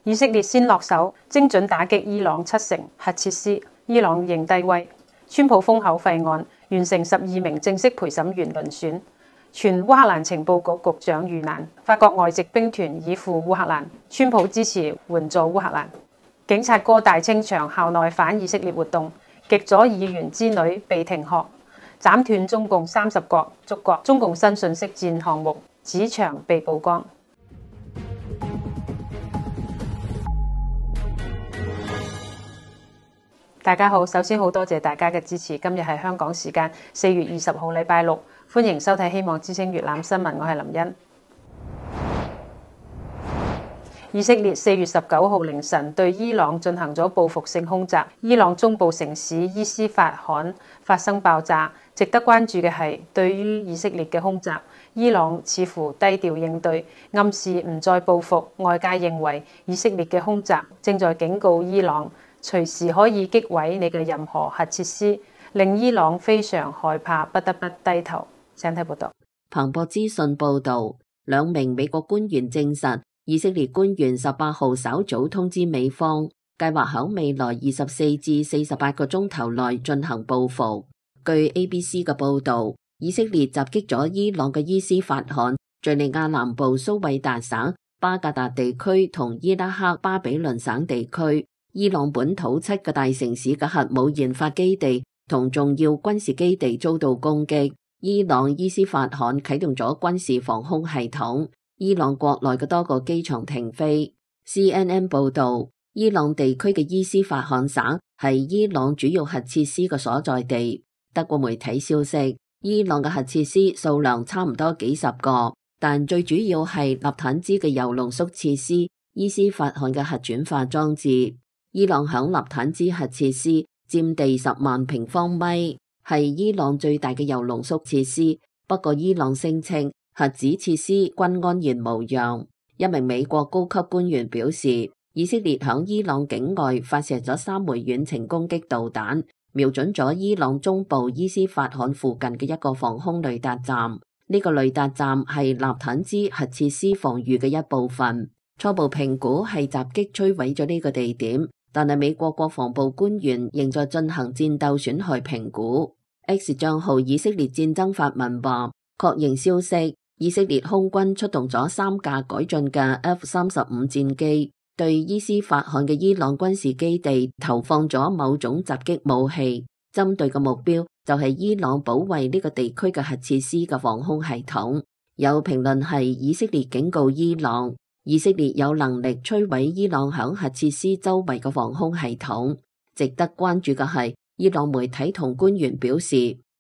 以色列先落手，精準打擊伊朗7成核設施，伊朗認低威。川普封口費案完成12名正式陪審員遴選，傳烏克蘭情報局局長遇難，法國外籍兵團已赴烏克蘭，川普支持援助烏克蘭。警察哥大清場校內反以色列活動，極左議員之女被停學，斬斷中共30國觸角。中共新信息戰項目紙場被曝光。大家好，首先好多謝大家嘅支持。今日係香港時間4月20號禮拜六，歡迎收睇希望之聲粵覽新聞，我係林茵。以色列4月19號凌晨對伊朗進行咗報復性空襲，伊朗中部城市伊斯法罕發生爆炸。值得關注嘅係，對於以色列嘅空襲，伊朗似乎低調應對，暗示唔再報復。外界認為以色列嘅空襲正在警告伊朗，隨時可以擊毀你嘅任何核設施，令伊朗非常害怕，不得不低頭。請睇報道。彭博資訊報導，2名美國官員證實，以色列官員18號稍早通知美方，計劃喺未來24至48個鐘頭內進行報復。據 ABC 嘅報導，以色列襲擊咗伊朗嘅伊斯法罕、敘利亞南部蘇韋達省、巴格達地區同伊拉克巴比倫省地區。伊朗本土7個大城市嘅核武研發基地同重要軍事基地遭到攻擊，伊朗伊斯法罕啟動咗軍事防空系統，伊朗國內嘅多個機場停飛。CNN 報導，伊朗地區嘅伊斯法罕省係伊朗主要核設施嘅所在地。德國媒體消息，伊朗嘅核設施數量差唔多幾十個，但最主要係納坦茲嘅鈾濃縮設施、伊斯法罕嘅核轉化裝置。伊朗響納坦茲核設施佔地10萬平方米，係伊朗最大嘅鈾濃縮設施。不過伊朗聲稱核子設施均安然無恙。一名美國高級官員表示，以色列響伊朗境外發射咗3枚遠程攻擊導彈，瞄準咗伊朗中部伊斯法罕附近嘅一個防空雷達站。呢個雷達站係納坦茲核設施防禦嘅一部分。初步評估係襲擊摧毀咗呢個地點。但係美國國防部官員仍在進行戰鬥損害評估。X 帳號以色列戰爭發文話，確認消息，以色列空軍出動咗3架改進嘅 F-35戰機，對伊斯法罕嘅伊朗軍事基地投放咗某種襲擊武器，針對嘅目標就係伊朗保衛呢個地區嘅核設施嘅防空系統。有評論係以色列警告伊朗，以色列有能力摧毀伊朗響核設施周圍嘅防空系統。值得關注嘅係，伊朗媒體同官員表示，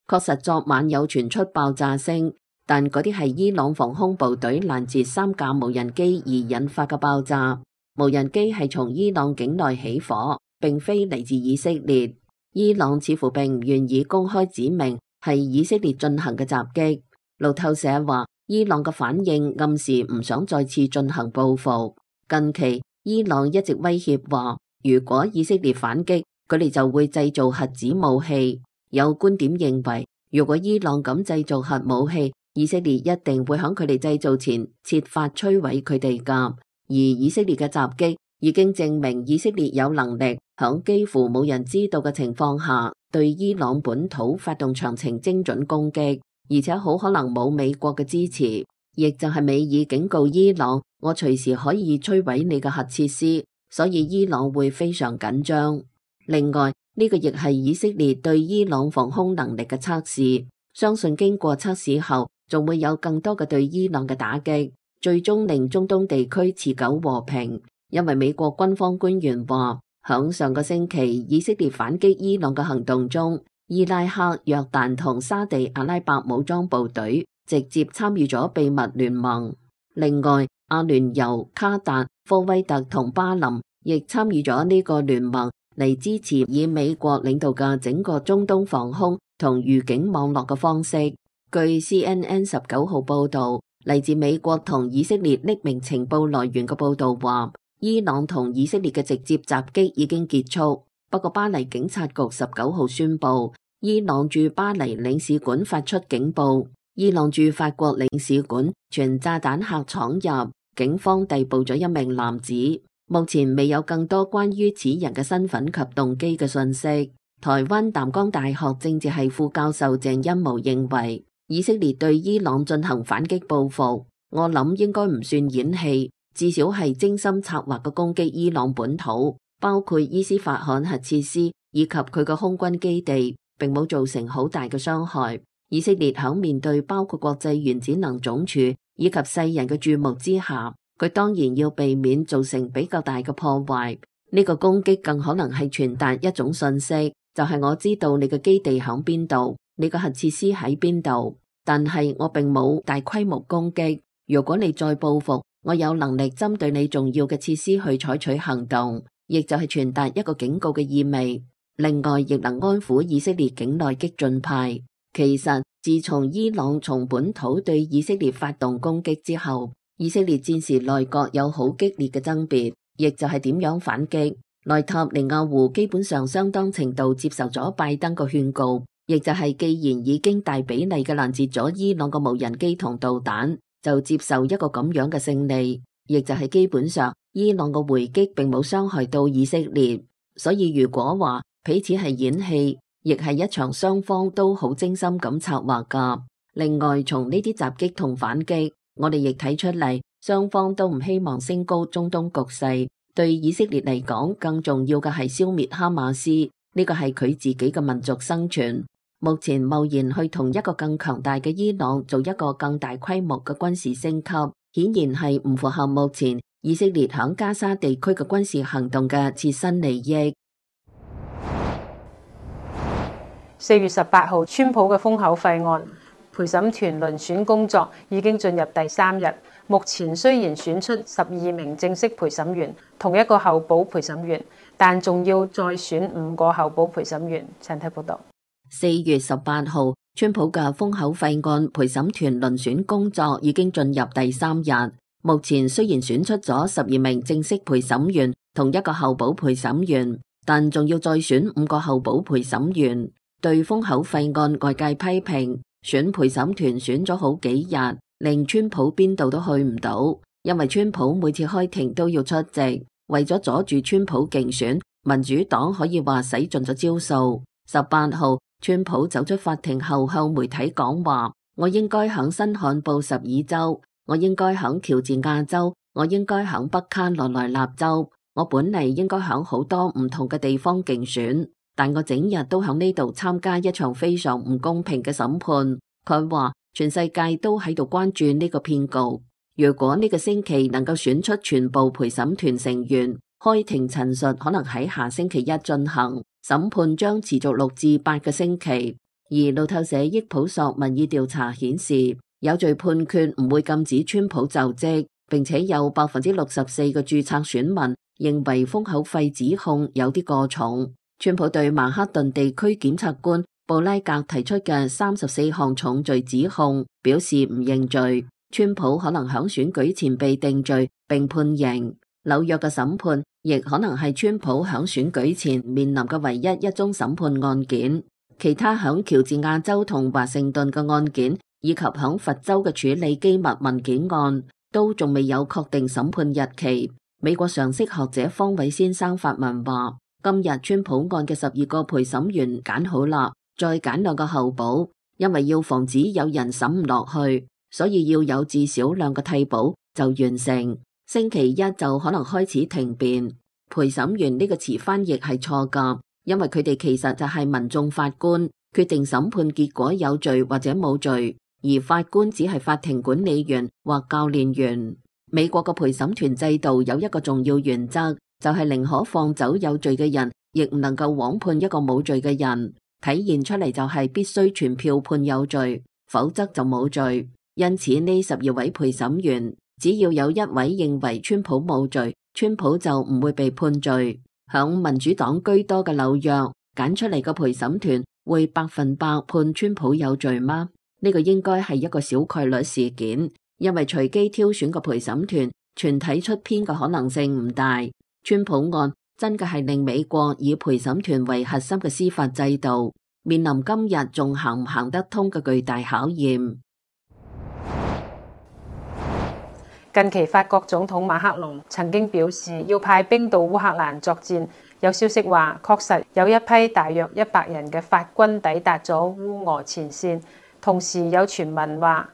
確實昨晚有傳出爆炸聲，但嗰啲係伊朗防空部隊攔截3架無人機而引發嘅爆炸。無人機係從伊朗境內起火，並非嚟自以色列。伊朗似乎並唔願意公開指明係以色列進行嘅襲擊。路透社話，伊朗嘅反應暗示唔想再次進行報復。近期，伊朗一直威脅話，如果以色列反擊，佢哋就會製造核子武器。有觀點認為，如果伊朗咁製造核武器，以色列一定會喺佢哋製造前設法摧毀佢哋㗎。而以色列嘅襲擊已經證明以色列有能力喺幾乎冇人知道嘅情況下，對伊朗本土發動長程精準攻擊。而且好可能冇美國嘅支持，亦就係美爾警告伊朗，我隨時可以摧毀你嘅核設施，所以伊朗會非常緊張。另外，呢個亦係以色列對伊朗防空能力嘅測試，相信經過測試後，仲會有更多嘅對伊朗嘅打擊，最終令中東地區持久和平。因為美國軍方官員話，響上個星期以色列反擊伊朗嘅行動中，伊拉克、約旦同沙地阿拉伯武裝部隊直接參與咗秘密聯盟。另外，阿聯酋、卡達、科威特同巴林亦參與咗呢個聯盟嚟支持以美國領導嘅整個中東防空同預警網絡嘅方式。據 CNN 19號報導，嚟自美國同以色列匿名情報來源嘅報導話，伊朗同以色列嘅直接襲擊已經結束。不過巴黎警察局19號宣布，伊朗駐巴黎領事館發出警報，伊朗駐法國領事館傳炸彈客闖入，警方逮捕咗1名男子。目前未有更多關於此人嘅身份及動機嘅信息。台灣淡江大學政治系副教授鄭欣模認為，以色列對伊朗進行反擊報復，我諗應該唔算演戲，至少係精心策劃嘅攻擊伊朗本土，包括伊斯法罕核設施以及佢嘅空軍基地，並冇造成好大嘅傷害。以色列喺面對包括國際原子能總署以及世人嘅注目之下，佢當然要避免造成比較大嘅破壞。呢個攻擊更可能係傳達一種信息，就係我知道你嘅基地喺邊度，你嘅核設施喺邊度，但係我並冇大規模攻擊。如果你再報復，我有能力針對你重要嘅設施去採取行動，亦就係傳達一個警告嘅意味。另外，亦能安撫以色列境內激進派。其實，自從伊朗從本土對以色列發動攻擊之後，以色列戰時內閣有好激烈嘅爭別，亦就係點樣反擊。內塔尼亞胡基本上相當程度接受咗拜登嘅勸告，亦就係既然已經大比例嘅攔截咗伊朗嘅無人機同導彈，就接受一個咁樣嘅勝利，亦就係基本上伊朗嘅回擊並冇傷害到以色列。所以如果話彼此係演戲，亦係一場雙方都好精心咁策劃㗎。另外，從呢啲襲擊同反擊，我哋亦睇出嚟，雙方都唔希望升高中東局勢。對以色列嚟講，更重要嘅係消滅哈馬斯，呢個係佢自己嘅民族生存。目前貿然去同一個更強大嘅伊朗做一個更大規模嘅軍事升級，顯然係唔符合目前以色列響加沙地區嘅軍事行動嘅切身利益。4月18號，川普嘅封口費案陪審團遴選工作已經進入第3日。目前雖然選出12名正式陪審員，同一個候補陪審員，但仲要再選5個候補陪審員。請睇報道。4月18號，川普嘅封口費案陪審團遴選工作已經進入第3日。目前雖然選出咗12名正式陪審員，同一個候補陪審員，但仲要再選5個候補陪審員。對封口費案外界批評，選陪審團選咗好幾日，令川普邊度都去唔到，因為川普每次開庭都要出席，為咗阻住川普競選，民主黨可以話使盡咗招數。18號，川普走出法庭後向媒體講話，我應該響新罕布什爾州，我應該響喬治亞州，我應該響北卡羅來納州，我本嚟應該響好多唔同嘅地方競選，但我整日都響呢度參加一場非常唔公平嘅審判。佢話全世界都喺度關注呢個騙局。如果呢個星期能夠選出全部陪審團成員，開庭陳述可能喺下星期一進行，審判將持續6至8個星期。而路透社益普索民意調查顯示，有罪判決唔會禁止川普就職，並且有64%嘅註冊選民認為封口費指控有啲過重。川普對曼克頓地區檢察官布拉格提出嘅34項重罪指控表示唔認罪，川普可能響選舉前被定罪並判刑。紐約嘅審判亦可能係川普響選舉前面臨嘅唯一一宗審判案件。其他響喬治亞州同華盛頓嘅案件，以及響佛州嘅處理機密文件案，都仲未有確定審判日期。美國常識學者方偉先生發文話，今日川普案嘅12個陪審員揀好啦，再揀2個候補，因為要防止有人審唔落去，所以要有至少2個替補就完成。星期一就可能開始庭辯。陪審員呢個詞翻譯係錯㗎，因為佢哋其實就係民眾法官，決定審判結果有罪或者冇罪，而法官只係法庭管理員或教練員。美國嘅陪審團制度有一個重要原則，就係寧可放走有罪嘅人，亦唔能夠枉判一個冇罪嘅人。體現出嚟就係必須全票判有罪，否則就冇罪。因此呢12位陪審員，只要有1位認為川普冇罪，川普就唔會被判罪。響民主黨居多嘅紐約，揀出嚟嘅陪審團會100%判川普有罪嗎？呢個應該係一個小概率事件，因為隨機挑選嘅陪審團全體出編嘅可能性唔大。川普案真嘅係令美國以陪審團為核心嘅司法制度面臨今日仲行唔行得通嘅巨大考驗。近期法國總統馬克龍曾經表示要派兵到烏克蘭作戰，有消息話確實有一批大約100人嘅法軍抵達咗烏俄前線，同時有傳聞話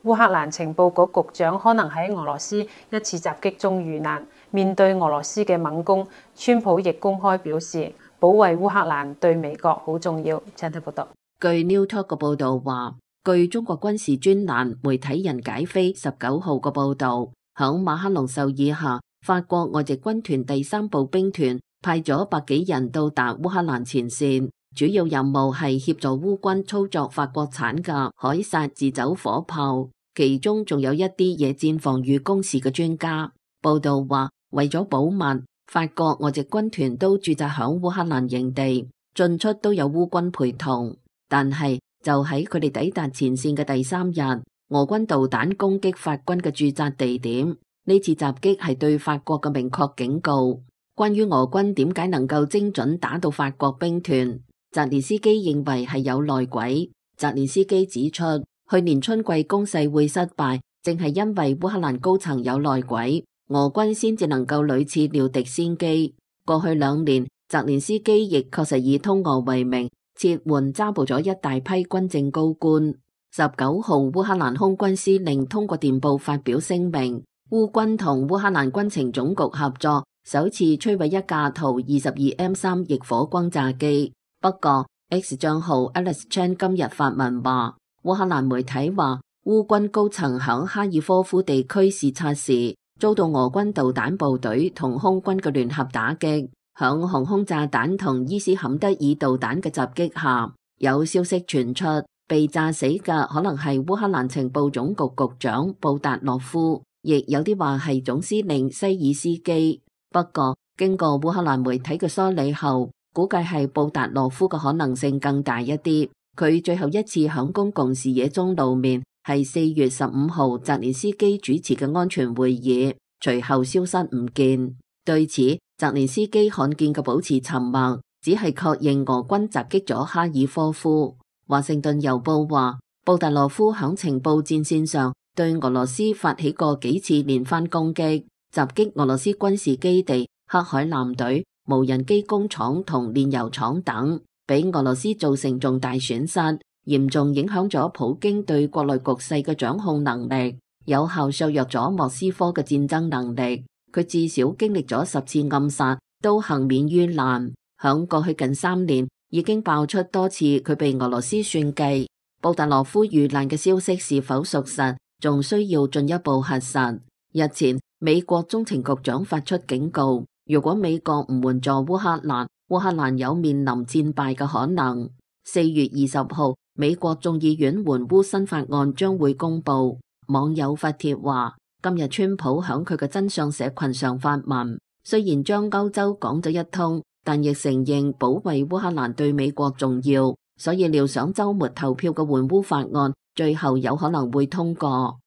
烏克蘭情報局局長可能喺俄羅斯一次襲擊中遇難。面對俄羅斯嘅猛攻，川普亦公開表示保衛烏克蘭對美國好重要。請睇報道。據 New Talk 嘅報導話，據中國軍事專欄媒體人解飛19號嘅報導，響馬克龍授意下，法國外籍軍團第3步兵團派咗100幾人到達烏克蘭前線，主要任務係協助烏軍操作法國產嘅凱撒自走火炮，其中仲有一啲野戰防禦工事嘅專家。報導話，為咗保密，法國外籍軍團都駐紮響烏克蘭營地，進出都有烏軍陪同。但係就喺佢哋抵達前線嘅第3日，俄軍導彈攻擊法軍嘅駐紮地點。呢次襲擊係對法國嘅明確警告。關於俄軍點解能夠精準打到法國兵團，澤連斯基認為係有內鬼。澤連斯基指出，去年春季攻勢會失敗，正係因為烏克蘭高層有內鬼，俄軍先至能夠屢次料敵先機。過去2年，澤連斯基亦確實以通俄為名，撤換抓捕咗一大批軍政高官。19號，烏克蘭空軍司令通過電報發表聲明，烏軍同烏克蘭軍情總局合作，首次摧毀一架圖 22M3 逆火轟炸機。不過 X 賬號 Alex Chan 今日發文話，烏克蘭媒體話烏軍高層響哈爾科夫地區視察時，遭到俄軍導彈部隊同空軍嘅聯合打擊，響航空炸彈同伊斯坎德爾導彈嘅襲擊下，有消息傳出被炸死嘅可能係烏克蘭情報總局局長布達洛夫，亦有啲話係總司令西爾斯基。不過經過烏克蘭媒體嘅梳理後，估計係布達洛夫嘅可能性更大一啲。佢最後一次響公共視野中露面係4月15號澤連斯基主持嘅安全會議，隨後消失唔見。對此，澤連斯基罕見嘅保持沉默，只係確認俄軍襲擊咗哈爾科夫。華盛頓郵報話，布達洛夫響情報戰線上對俄羅斯發起過幾次連番攻擊，襲擊俄羅斯軍事基地、黑海艦隊、無人機工廠同煉油廠等，俾俄羅斯造成重大損失，嚴重影響咗普京對國內局勢嘅掌控能力，有效削弱咗莫斯科嘅戰爭能力。佢至少經歷咗10次暗殺，都幸免於難。響過去近3年，已經爆出多次佢被俄羅斯算計。布達洛夫遇難嘅消息是否屬實，仲需要進一步核實。日前，美國中情局長發出警告，如果美國唔援助烏克蘭，烏克蘭有面臨戰敗嘅可能。4月20號，美國眾議院援烏新法案將會公布。網友發帖話，今日川普響佢嘅真相社群上發文，雖然將歐洲講咗一通，但亦承認保衛烏克蘭對美國重要，所以料想週末投票嘅援烏法案最後有可能會通過。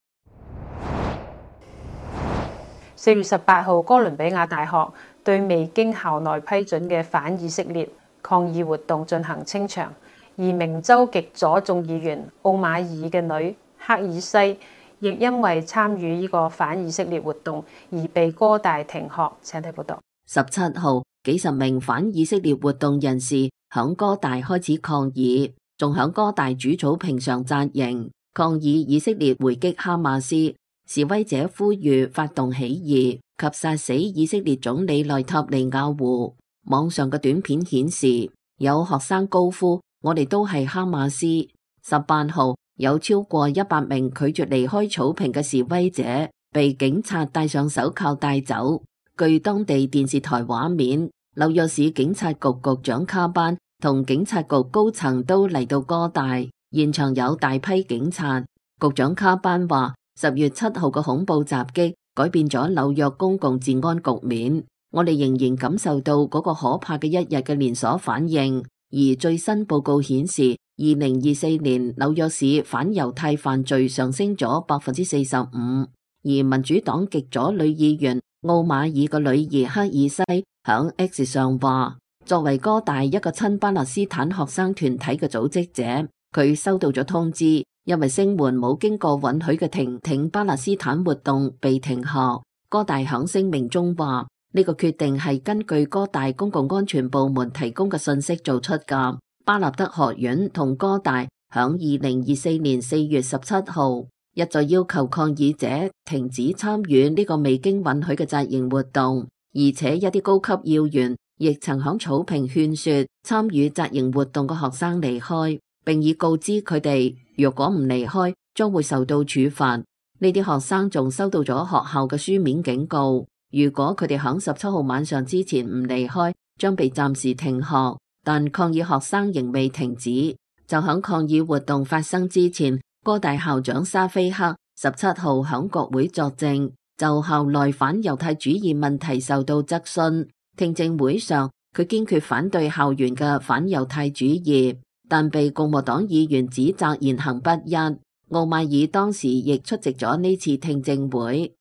4月18號，哥倫比亞大學對未經校內批准嘅反以色列抗議活動進行清場，而明州極左眾議員奧馬爾嘅女克爾西亦因為參與呢個反以色列活動而被哥大停學。請睇報道。17號，幾十名反以色列活動人士響哥大開始抗議，仲響哥大主草坪上紮營，抗議以色列回擊哈馬斯。示威者呼籲發動起義及殺死以色列總理內塔尼亞胡。網上嘅短片顯示，有學生高呼：我哋都係哈馬斯。18號，有超過100名拒絕離開草坪嘅示威者被警察戴上手銬帶走。據當地電視台畫面，紐約市警察局局長卡班同警察局高層都嚟到哥大，現場有大批警察。局長卡班話：10月7號嘅恐怖襲擊改變咗紐約公共治安局面，我哋仍然感受到嗰個可怕嘅一日嘅連鎖反應。而最新報告顯示，2024年紐約市反猶太犯罪上升咗45%。而民主黨極左女議員奧馬爾嘅女兒克爾西響 X 上話，作為哥大一個親巴勒斯坦學生團體嘅組織者，佢收到咗通知，因為聲援冇經過允許嘅停挺巴勒斯坦活動被停學。哥大響聲明中話，呢個決定係根據哥大公共安全部門提供嘅信息做出㗎。巴立德學院同哥大響2024年4月17號一再要求抗議者停止參與呢個未經允許嘅紮營活動，而且一啲高級要員亦曾響草坪勸說參與紮營活動嘅學生離開，並已告知佢哋若果唔離開將會受到處罰。呢啲學生仲收到咗學校嘅書面警告，如果佢哋響17號晚上之前唔離開，將被暫時停學。但抗議學生仍未停止，就響抗議活動發生之前，哥大校長沙菲克17號響國會作證，就校內反猶太主義問題受到質詢。聽證會上，佢堅決反對校園嘅反猶太主義，但被共和黨議員指責言行不一。奧邁爾當時亦出席咗呢次聽證會。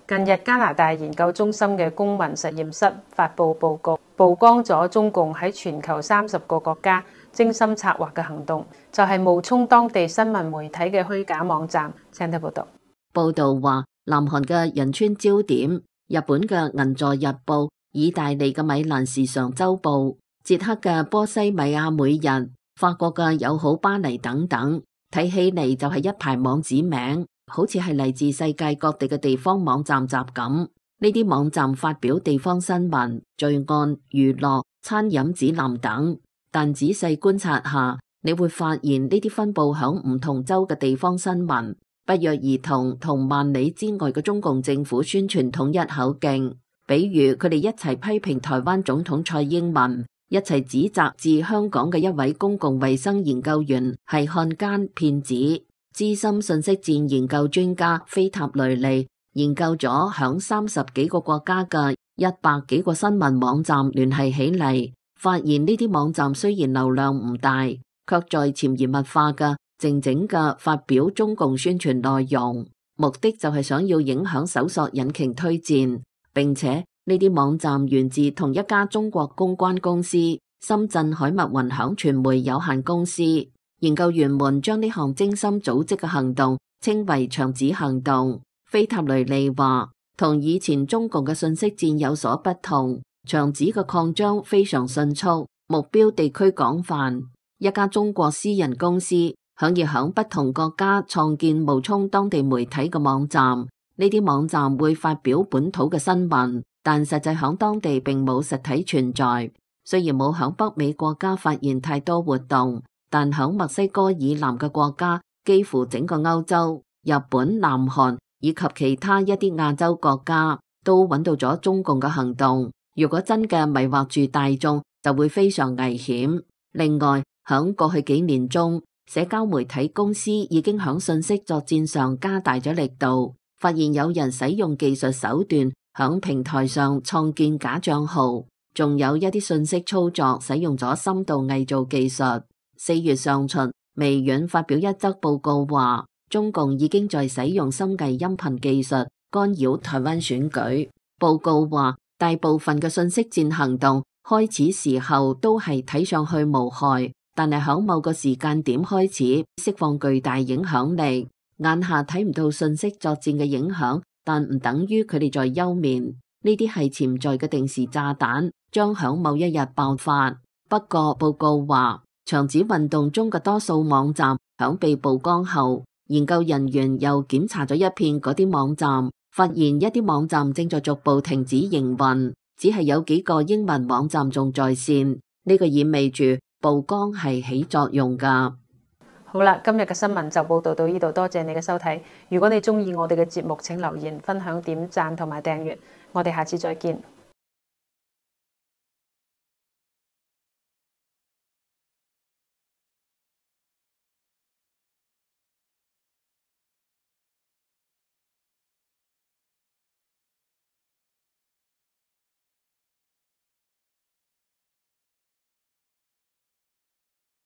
近日加拿大研究中心嘅公民實驗室發布報告，曝光咗中共喺全球30個國家精心策劃嘅行動，就係冒充當地新聞媒體嘅虛假網站。請睇報道。報道話，南韓嘅仁川焦點、日本嘅銀座日報、意大利嘅米蘭時尚週報、捷克嘅波西米亞每日、法國嘅友好巴黎等等，睇起嚟就係一排網址名，好似係嚟自世界各地嘅地方網站集咁。呢啲網站發表地方新聞、罪案、娛樂、餐飲指南等，但仔細觀察下，你會發現呢啲分佈響唔同州嘅地方新聞，不約而同萬里之外嘅中共政府宣傳統一口徑。比如佢哋一齊批評台灣總統蔡英文，一齊指責自香港嘅一位公共衛生研究員係漢奸騙子。資深信息戰研究專家菲塔雷利研究咗響30幾個國家嘅100幾個新聞網站聯繫起嚟，發現呢啲網站雖然流量唔大，卻在潛移默化嘅靜靜嘅發表中共宣傳內容，目的就係想要影響搜索引擎推薦，並且呢啲網站源自同一家中國公關公司深圳海密雲響傳媒有限公司。研究員們將呢項精心組織嘅行動稱為牆紙行動。菲塔雷利話，同以前中共嘅信息戰有所不同，牆紙嘅擴張非常迅速，目標地區廣泛。一家中國私人公司想要響不同國家創建冒充當地媒體嘅網站，呢啲網站會發表本土嘅新聞，但實際響當地並冇實體存在。雖然冇響北美國家發現太多活動，但響墨西哥以南嘅國家，幾乎整個歐洲、日本、南韓以及其他一啲亞洲國家都揾到咗中共嘅行動。如果真嘅迷惑住大眾，就會非常危險。另外，響過去幾年中，社交媒體公司已經響信息作戰上加大咗力度，發現有人使用技術手段響平台上創建假賬號，仲有一啲信息操作使用咗深度偽造技術。4月上旬，微軟發表一則報告話，中共已經在使用深偽音頻技術干擾台灣選舉。報告話，大部分嘅信息戰行動開始時候都係睇上去無害，但係響某個時間點開始釋放巨大影響力。眼下睇唔到信息作戰嘅影響，但唔等於佢哋在休眠。呢啲係潛在嘅定時炸彈，將響某一日爆發。不過報告話，牆紙運動中嘅多數網站響被曝光後，研究人員又檢查咗一遍嗰啲網站，發現一啲網站正在逐步停止營運，只係有幾個英文網站仲在線。呢個意味住曝光係起作用㗎。好啦，今日嘅新聞就報道到呢度，多謝你嘅收睇。如果你鍾意我哋嘅節目，請留言、分享、點讚同埋訂閱。我哋下次再見。